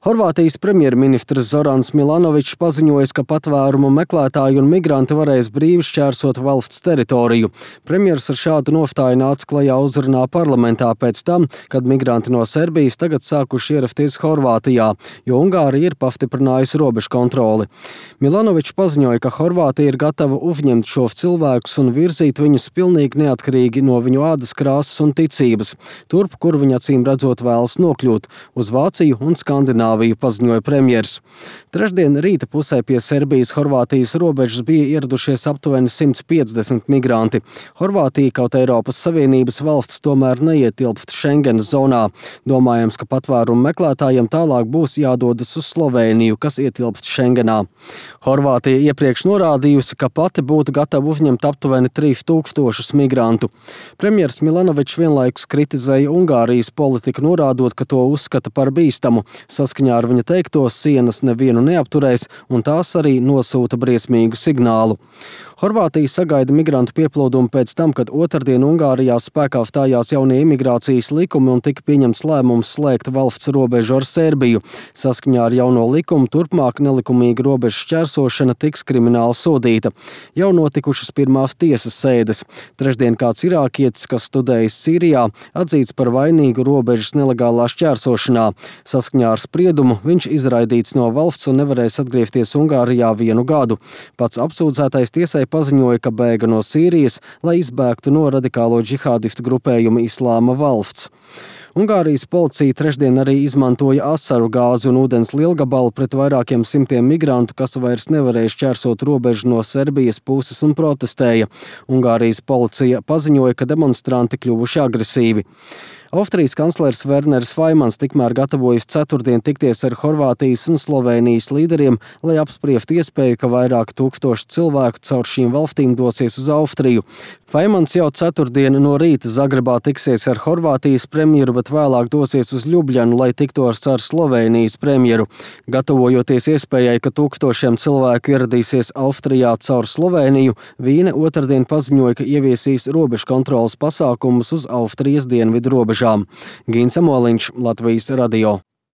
Horvātijas premjerministrs Zorans Milanovičs paziņojis, ka patvērumu meklētāji un migranti varēs brīvi šķērsot valsts teritoriju. Premjers ar šādu nostāju nāca klajā uzrunā parlamentā pēc tam, kad migranti no Serbijas tagad sākuši ierasties Horvātijā, jo Ungārija ir pastiprinājusi robežu kontroli. Milanovičs paziņoja, ka Horvātija ir gatava uzņemt šos cilvēkus un virzīt viņus pilnīgi neatkarīgi no viņu ādas krāsas un ticības, turp, kur viņi acīm redzot vēlas nokļūt, uz Vāciju un Skandināviju, paziņoja premjers. Trešdien rīta pusē pie Serbijas-Horvātijas robežas bija ieradušies aptuveni 150 migranti. Horvātija, kaut Eiropas Savienības valsts, tomēr neietilpst Schengenas zonā. Domājams, ka patvērumu meklētājiem tālāk būs jādodas uz Slovēniju, kas ietilpst Schengenā. Horvātija iepriekš norādījusi, ka pati būtu gatava uzņemt aptuveni 3000 migrantu. Premjers Milanovičs vienlaikus kritizēja Ungārijas politiku, norādot, ka to uzskata par bīstamu. Saskaņā ar viņa teikto, sienas nevienu neapturēs, un tās arī nosūta briesmīgu signālu. Horvātija sagaida migrantu pieplūdumu pēc tam, kad otrdien Ungārijā spēkā stājās jaunie imigrācijas likumi un tika pieņemts lēmums slēgt valsts robežu ar Serbiju. Saskaņā ar jauno likumu turpmāk nelikumīga robežu šķērsošana tiks krimināli sodīta. Jau notikušas pirmās tiesas sēdes. Trešdien kāds irākietis, kas studējis Sīrijā, atzīts par vainīgu robežas nelegālā šķērsošanā. Saskaņā ar spriedumu viņš izraidīts no valsts un nevarēs atgriezties Ungārijā 1 gadu. Pats apsūdzētais tiesai paziņoja, ka bēga no Sīrijas, lai izbēgtu no radikālo džihādistu grupējuma Islāma valsts. Ungārijas policija trešdien arī izmantoja asaru gāzi un ūdens lielgabalu pret vairākiem simtiem migrantu, kas vairs nevarēja šķērsot robežu no Serbijas puses un protestēja. Ungārijas policija paziņoja, ka demonstranti kļuvuši agresīvi. Austrijas kanclers Werners Faimans tikmēr gatavojas ceturtdien tikties ar Horvātijas un Slovēnijas līderiem, lai apspriestu iespēju, ka vairāk tūkstoši cilvēku caur šīm valstīm dosies uz Austriju. Faimans jau ceturtdien no rīta Zagrebā tiksies ar Horvātijas premjeru, bet vēlāk dosies uz Ljubljanu, lai tiktos ar Slovēnijas premjeru. Gatavojoties iespējai, ka tūkstošiem cilvēku ieradīsies Austrijā caur Slovēniju, Vīne otrdien paziņoja, ka ieviesīs robežu kontrolas pasākumus uz Austrijas dienvidu robežām. Gīns Amoliņš, Latvijas radio.